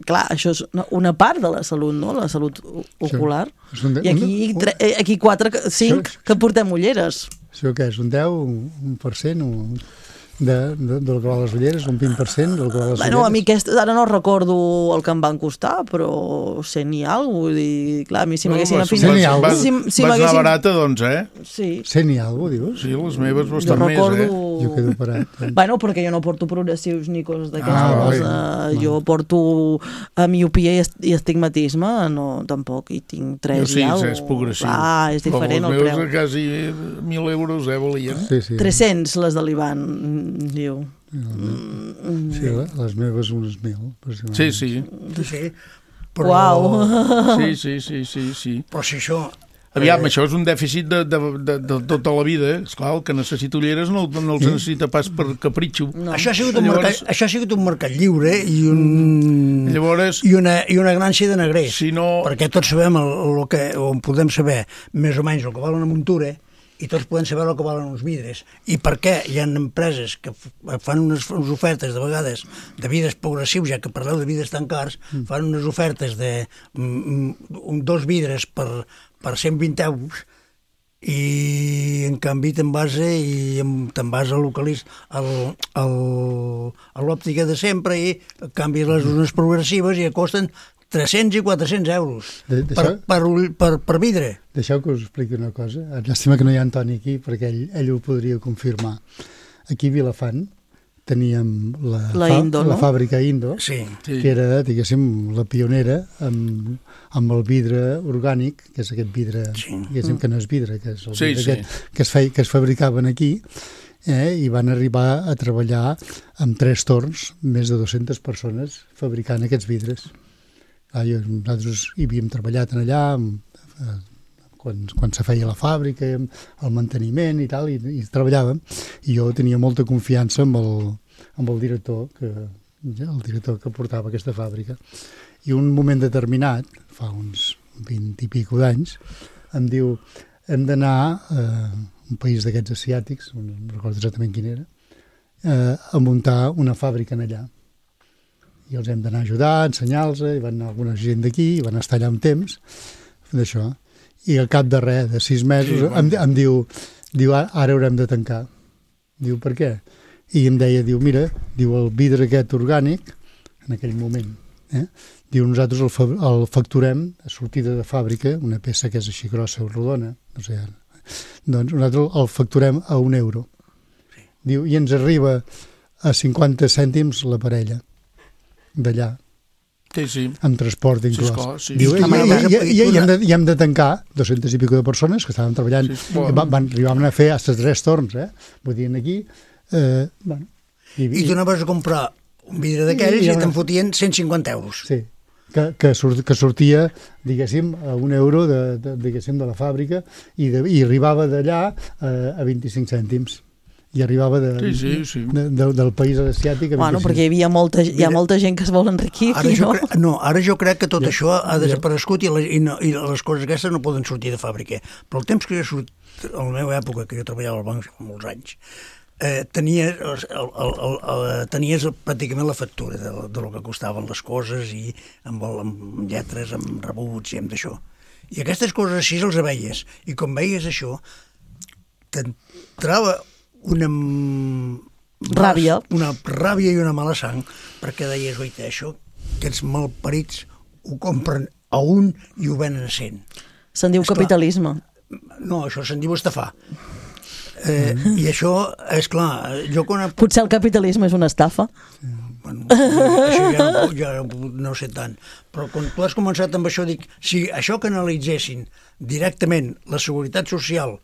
clar, això és una part de la salut, no?, la salut ocular. I aquí 5 que portem ulleres. Això què és? Un 10, 1%? Del que val les ulleres, un 20% del que val les ulleres? A mi ara no recordo el que em van costar, però 100 i alguna cosa, vull dir, clar, a mi si m'haguessin afinat... Vas anar barata, doncs, Sí. 100 i alguna cosa, dius? Sí, les meves bastant més, Jo quedo parat. Perquè jo no porto progressius ni coses d'aquestes. Jo porto miopia i astigmatisme, no, tampoc, i tinc 3 i alguna cosa. Sí, és progressiu. És diferent el preu. Els meus quasi 1.000 euros, valien. 300, les de l'Ivan, diu. Sí, les meves unes 1.000. Sí. Uau! Sí. Però si això... Aviam, això és un dèficit de tota la vida. Esclar, el que necessita ulleres no els necessita pas per capritxo. No. Això ha sigut un mercat lliure i una grància de negrers. Perquè tots sabem on podem saber més o menys el que val una muntura, i tots podem saber el que valen uns vidres. I per què hi ha empreses que fan unes ofertes, de vegades, de vidres progressius, ja que parleu de vidres tan cars, fan unes ofertes de 2 vidres per 120 euros, i en canvi te'n vas a l'òptica de sempre i canvies les unes progressives i costen 300 i 400 euros per vidre. Deixeu que us expliqui una cosa. Llàstima que no hi ha Antoni aquí, perquè ell ho podria confirmar. Aquí a Vilafant teníem la fàbrica Indo, que era, diguéssim, la pionera amb el vidre orgànic, que és aquest vidre, diguéssim que no és vidre, que és el vidre que es fabricaven aquí, i van arribar a treballar amb 3 torns, més de 200 persones fabricant aquests vidres. Nosaltres hi havíem treballat allà quan se feia la fàbrica, el manteniment i tal, i treballàvem, i jo tenia molta confiança amb el director que portava aquesta fàbrica. I un moment determinat, fa uns 20 i pico d'anys, em diu, hem d'anar a un país d'aquests asiàtics, no recordo exactament quin era, a muntar una fàbrica allà. I els hem d'anar a ajudar, a ensenyar-los, i van anar alguna gent d'aquí, i van estar allà un temps, d'això. I al cap de res, de 6 mesos, em diu, ara haurem de tancar. Diu, per què? I em deia, mira, el vidre aquest orgànic, en aquell moment, diu, nosaltres el facturem a sortida de fàbrica, una peça que és així grossa o rodona, no sé, doncs nosaltres el facturem a €1. Diu, i ens arriba a 50 cèntims la parella d'allà, amb transport inclòs. I hem de tancar 200 i pico de persones que estaven treballant, arribaven a fer fins a 3 torns, vull dir, aquí... I tu anaves a comprar un vidre d'aquells i te'n fotien 150 euros. Sí, que sortia, diguéssim, a €1 de la fàbrica i arribava d'allà a 25 cèntims. I arribava del país asiàtic. Perquè hi ha molta gent que es vol enriquir. Ara jo crec que tot això ha desaparegut i les coses aquestes no poden sortir de fàbrica. Però el temps que jo sortit, a la meva època, que jo treballava al banc fa molts anys, tenies pràcticament la factura del que costaven les coses, i amb lletres, amb rebuts i amb d'això. I aquestes coses així els veies. I quan veies això, t'entrava una ràbia i una mala sang, perquè deies, oita, això, aquests malparits ho compren a un i ho venen a 100. Se'n diu capitalisme. No, això se'n diu estafar. I això, és clar... Potser el capitalisme és una estafa? Això ja no sé tant. Però quan tu has començat amb això, dic, si això que analitzessin directament la Seguretat Social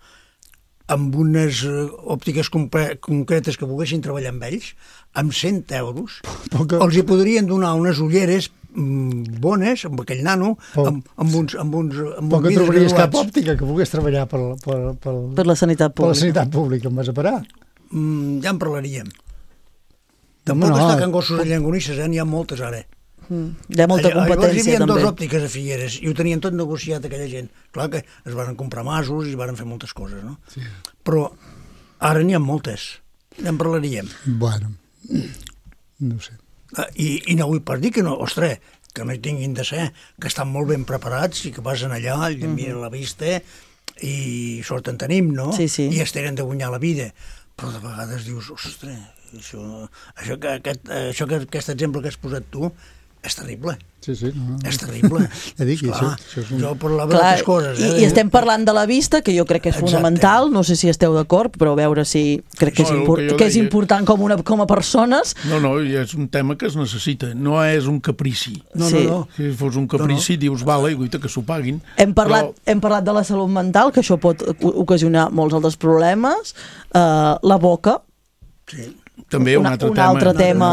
amb unes òptiques concretes que poguessin treballar amb ells, amb 100 euros, els hi podrien donar unes ulleres bones, amb aquell nano, amb uns poc et trobaries cap òptica que pogués treballar per la sanitat pública. Per la sanitat pública, em vas a parar. Ja en parlaríem. Tampoc està que en gossos de llengonisses, n'hi ha moltes ara. Hi ha molta competència, també. Hi havia també. 2 òptiques a Figueres i ho tenien tot negociat aquella gent. Clar que es van comprar masos i es van fer moltes coses, no? Sí. Però ara n'hi ha moltes. Ja en parlaríem. Bueno, no sé. I no vull pas dir que no, ostres, que no hi tinguin de ser, que estan molt ben preparats i que passen allà, i miren la vista i sort en tenim, no? Sí, sí. I es tenen de guanyar la vida. Però de vegades dius, ostres, aquest exemple que has posat tu és terrible. Sí, sí. No. És terrible. Ja dic, això és un... Jo parlava d'altres coses. I estem parlant de la vista, que jo crec que és fonamental, no sé si esteu d'acord, però a veure si crec que és important com a persones. No, és un tema que es necessita, no és un caprici. No. Si fos un caprici, dius, vale, guaita, que s'ho paguin. Hem parlat de la salut mental, que això pot ocasionar molts altres problemes. La boca. Sí. També un altre tema,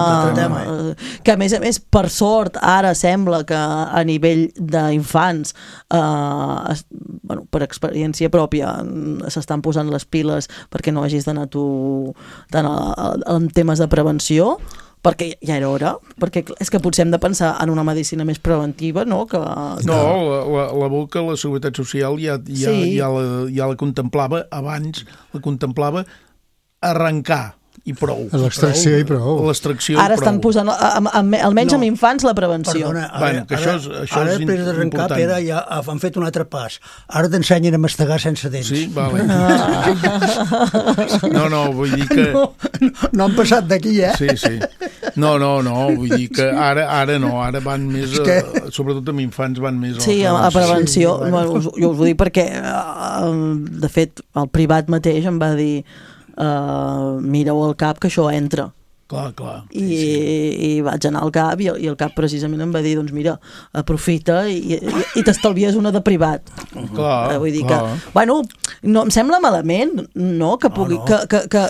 que a més, per sort, ara sembla que a nivell d'infants, per experiència pròpia, s'estan posant les piles perquè no hagis d'anar tu tant en temes de prevenció, perquè ja era hora, perquè és que potser hem de pensar en una medicina més preventiva, no? La boca, la Seguretat Social ja la contemplava abans, arrencar i prou. L'extracció i prou. Ara estan posant, almenys amb infants, la prevenció. Perdona, ara després d'arrencar, Pere, ja han fet un altre pas. Ara t'ensenyen a mastegar sense dents. Sí, vale. No, vull dir que... No han passat d'aquí, Sí. No, vull dir que ara no, ara van més, sobretot amb infants van més... Sí, a prevenció. Jo us ho dic perquè, de fet, el privat mateix em va dir mireu al CAP que això entra. Clar. I vaig anar al CAP i el CAP precisament em va dir, doncs mira, aprofita i t'estalvies una de privat. Vull dir que, bueno, no em sembla malament, no? Que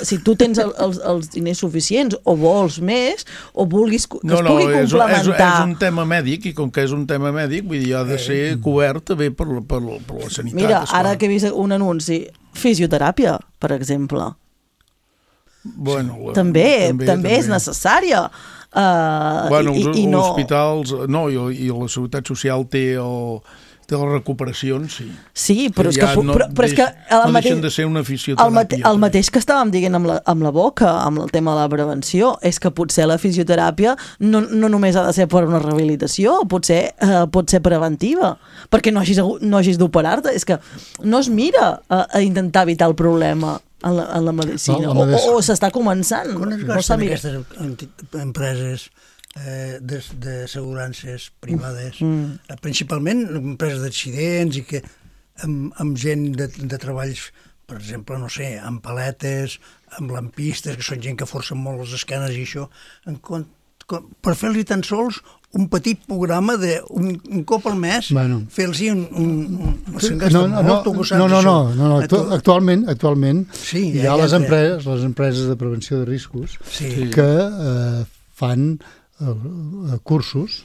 si tu tens els diners suficients o vols més o vulguis que es pugui complementar. És un tema mèdic i com que és un tema mèdic, vull dir, ha de ser cobert també per la sanitat. Mira, ara que he vist un anunci, fisioteràpia, per exemple. Bueno, també és necessària. Els hospitals i la Seguretat Social té les recuperacions, sí. Sí, però és que no deixen de ser una fisioteràpia. El mateix que estàvem dient amb la boca, amb el tema de la prevenció, és que potser la fisioteràpia no només ha de ser per una rehabilitació, potser pot ser preventiva, perquè no hagis d'operar-te. És que no es mira a intentar evitar el problema en la medicina, o s'està començant. Com es gasten aquestes empreses d'assegurances privades, principalment empreses d'accidents i que amb gent de treballs, per exemple, no sé, amb paletes, amb lampistes, que són gent que forcen molt les esquenes i això, per fer-los tan sols un petit programa d'un cop al mes, fer-los No, actualment hi ha les empreses de prevenció de riscos que fan cursos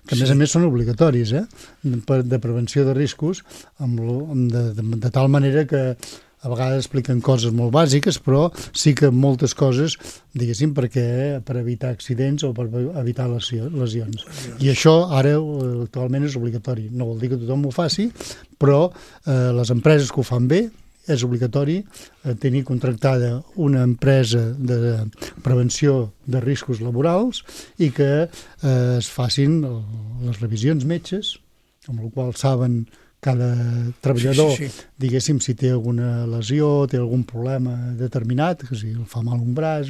que a més són obligatoris, de prevenció de riscos, de tal manera que a vegades expliquen coses molt bàsiques, però sí que moltes coses, diguéssim, per evitar accidents o per evitar lesions. I això ara actualment és obligatori. No vol dir que tothom ho faci, però les empreses que ho fan bé és obligatori tenir contractada una empresa de prevenció de riscos laborals i que es facin les revisions metges, amb la qual saben cada treballador, diguéssim, si té alguna lesió, té algun problema determinat, que si el fa mal un braç,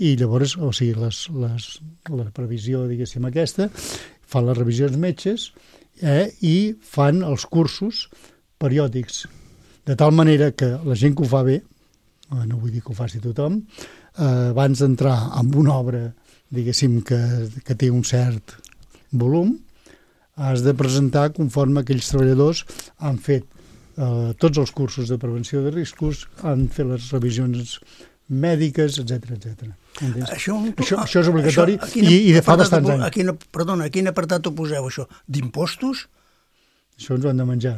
i llavors, o sigui, la previsió, diguéssim, aquesta, fan les revisions metges i fan els cursos periòdics, de tal manera que la gent que ho fa bé, no vull dir que ho faci tothom, abans d'entrar en una obra, diguéssim, que té un cert volum, has de presentar conforme aquells treballadors han fet tots els cursos de prevenció de riscos, han fet les revisions mèdiques, etc. Això és obligatori i de fa bastants anys. Perdona, a quin apartat ho poseu, això? D'impostos? Això ens ho han de menjar.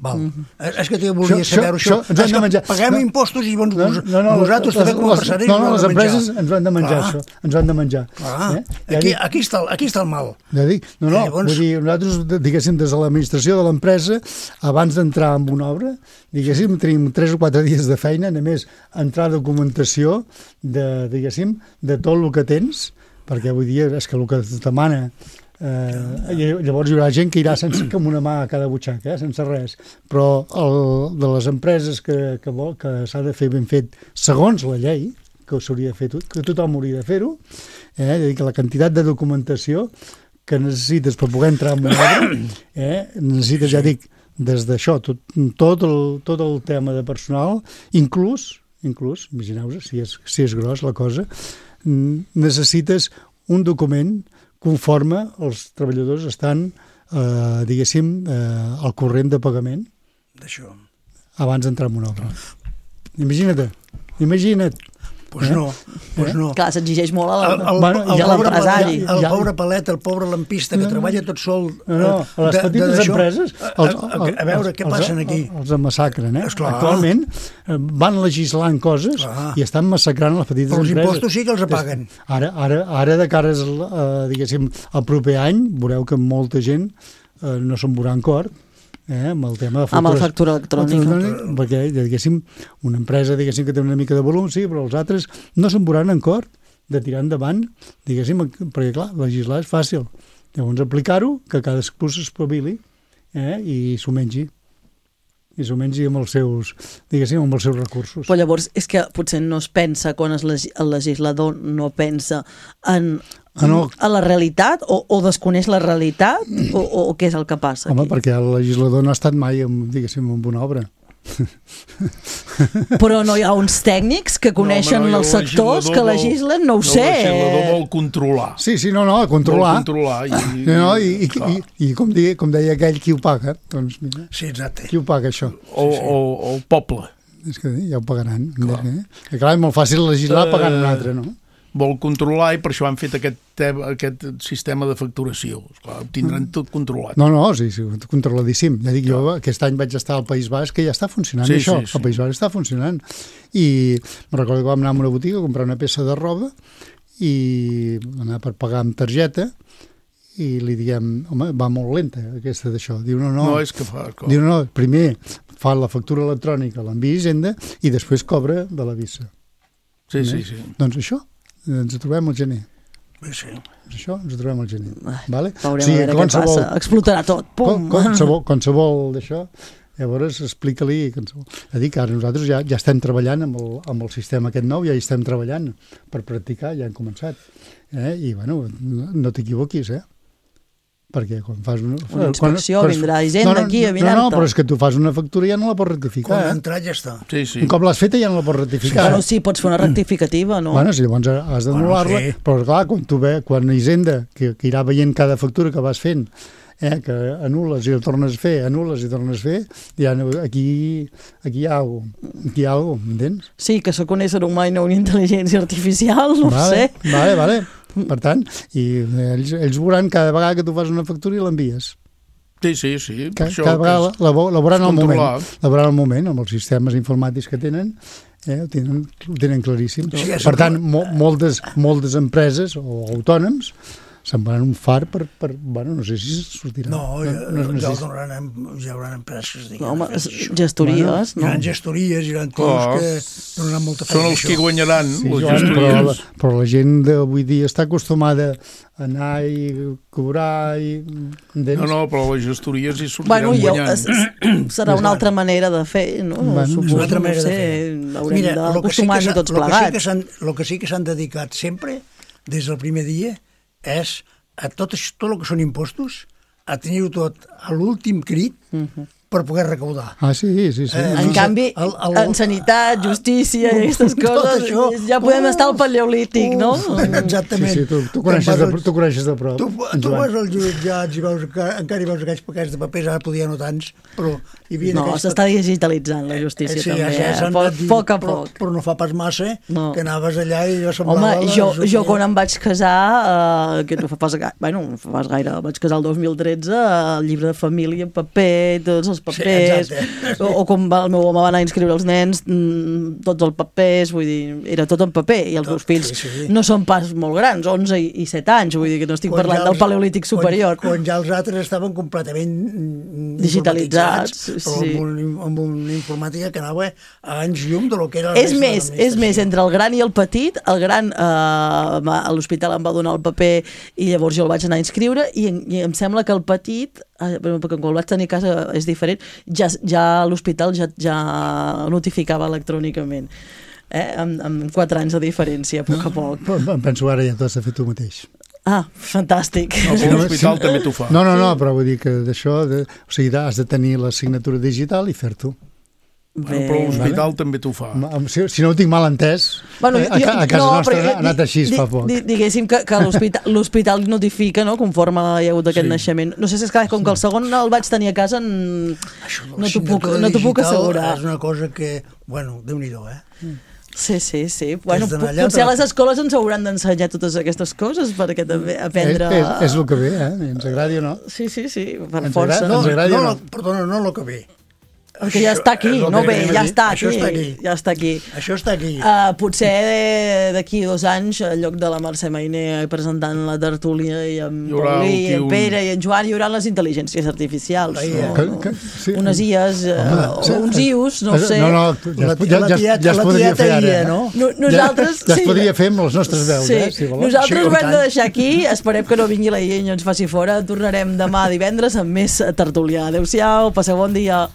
Val. És que jo volia saber això. Paguem impostos i vosaltres també com a empresaris les empreses ens ho han de menjar, això. Ens ho han de menjar. Aquí està el mal. Ja dic, vull dir, nosaltres, diguéssim, des de l'administració de l'empresa, abans d'entrar en una obra, diguéssim, tenim 3 o 4 dies de feina, només entrar documentació diguéssim, de tot el que tens, perquè vull dir, és que el que es demana llavors hi haurà gent que irà sense com una mà a cada butxaca, sense res, però de les empreses que s'ha de fer ben fet segons la llei, que s'hauria de fer, que tothom hauria de fer-ho, que la quantitat de documentació que necessites per poder entrar en una obra, necessites, ja dic, des d'això, tot el tema de personal, inclús, imagineu-vos, si és gros la cosa, necessites un document conforme els treballadors estan, diguéssim, al corrent de pagament d'això abans d'entrar en una obra. Imagina't. Doncs no. Clar, s'exigeix molt a l'empresari. El pobre palet, el pobre lampista que treballa tot sol. A les petites empreses... A veure què passen aquí. Els massacren, Actualment van legislant coses i estan massacrant les petites empreses. Però els impostos sí que els apaguen. Ara de cara, diguéssim, al proper any, veureu que molta gent no se'n veurà en cort, amb el tema de amb la factura electrònica, perquè diguéssim, una empresa diguéssim que té una mica de volum, sí, però els altres no se'n veuran en cort de tirar endavant, diguéssim, perquè clar, legislar és fàcil, llavors aplicar-ho, que cadascú s'espavili i s'ho mengi amb els seus, diguéssim, amb els seus recursos. Però llavors és que potser no es pensa, quan el legislador no pensa a la realitat o desconeix la realitat o què és el que passa aquí? Home, perquè el legislador no ha estat mai, diguéssim, en una obra. Però no hi ha uns tècnics que coneixen els sectors que legislen, no ho sé. El legislador vol controlar. Sí, controlar. I com deia aquell, qui ho paga? Doncs mira, sí, exacte. Qui ho paga, això? O el poble. És que ja ho pagaran. Clar, és molt fàcil legislar pagant un altre, no? Vol controlar i per això han fet aquest sistema de facturació. Esclar, ho tindran tot controlat. No, sí, controladíssim. Ja dic, jo aquest any vaig estar al País Basc que ja està funcionant això. Sí. El País Basc està funcionant. I me'n recordo que vam anar a una botiga a comprar una peça de roba i anar per pagar amb targeta i li diem, home, va molt lenta aquesta d'això. Diu, no, és que fa... Diu, no, primer fa la factura electrònica, l'envia a Hisenda i després cobra de la visa. Sí. Doncs això. Ens trobem al gener. Sí. Això ens trobem al gener. Vale? Veurem a veure què passa. Explotarà tot. Pum! Qualsevol d'això, llavors explica-li... A dir que ara nosaltres ja estem treballant amb el sistema aquest nou, ja hi estem treballant per practicar, ja hem començat. I, bueno, no t'equivoquis, perquè quan fas una inspecció vindrà Hisenda aquí a mirar-te. No, però és que tu fas una factura i ja no la pots rectificar. Quan ha entrat ja està. Sí. Un cop l'has feta ja no la pots rectificar. Bueno, sí, pots fer una rectificativa, no? Bueno, sí, llavors has d'anul·lar-la, però clar, quan Hisenda, que irà veient cada factura que vas fent, que anules i el tornes a fer, ja aquí hi ha alguna cosa, m'entens? Sí, que sóc un ésser humà i no una intel·ligència artificial, no ho sé. Vale. Per tant, i ells veuran cada vegada que tu fas una factura i l'envies. Sí. Cada vegada la veuran al moment, amb els sistemes informàtics que tenen, ho tenen claríssim. Per tant, moltes empreses o autònoms se'n van un far per... Bueno, no sé si sortirà. No, ja haurà empreses, diguem. Home, gestories, no? Hi ha gestories, hi ha tios que donaran molta feina. Són els que guanyaran, les gestories. Però la gent d'avui dia està acostumada a anar i cobrar i... No, però les gestories hi sortiran guanyant. Serà una altra manera de fer, no? Una altra manera de fer. Haurem d'acostumar-nos tots plegats. El que sí que s'han dedicat sempre, des del primer dia, és a tot el que són impostos, a tenir-ho tot a l'últim crit per poder recaudar. Sí. En canvi, en sanitat, justícia i aquestes coses, ja podem estar al paleolític, no? Exactament. Sí, tu coneixes de prop. Tu vas als jutjats i encara hi veus aquells paquets de papers, ara podia no tants, però hi havia... No, s'està digitalitzant la justícia també, a poc a poc. Però no fa pas massa que anaves allà i jo semblava... Home, jo quan em vaig casar, que no fa pas gaire, vaig casar el 2013, el llibre de família en paper, tots els papers, o com el meu home va anar a inscriure els nens, tots els papers, vull dir, era tot en paper, i els meus fills no són pas molt grans, 11 i 7 anys, vull dir que no estic parlant del paleolític superior. Quan ja els altres estaven completament digitalitzats, amb una informàtica que anava a anys llum de lo que era... És més, entre el gran i el petit, el gran a l'hospital em va donar el paper i llavors jo el vaig anar a inscriure i em sembla que el petit, perquè quan el vaig tenir a casa és diferent, ja l'hospital ja notificava electrònicament. Amb 4 anys de diferència, a poc a poc. Em penso ara ja t'has de fer tu mateix. Fantàstic. L'hospital també t'ho fa. No, però vull dir que d'això, o sigui, has de tenir la signatura digital i fer-t'ho. Però l'hospital també t'ho fa. Si no ho tinc mal entès, a casa nostra ha anat així fa poc. Diguéssim que l'hospital notifica, conforme hi ha hagut aquest naixement. No sé si és que com que el segon el vaig tenir a casa no t'ho puc assegurar. És una cosa que, bueno, Déu-n'hi-do, Sí. Bueno, potser a les escoles ens hauran d'ensenyar totes aquestes coses perquè també aprendre... És el que ve, ens agradi o no. Sí, per força. Perdona, no el que ve. Perquè ja està aquí, ja està aquí. Això està aquí. Potser d'aquí 2 anys, en lloc de la Mercè Mainer presentant la tertúlia i en Paulí, i en Pere i en Joan, hi haurà les intel·ligències artificials. Unes IAs, o uns IUs, no sé. Ja es podria fer ara. Nosaltres... Ja es podria fer amb les nostres veus, si voleu. Nosaltres ho hem de deixar aquí, esperem que no vingui la IA i ens faci fora. Tornarem demà divendres amb més tertúlia. Adéu-siau, passeu bon dia.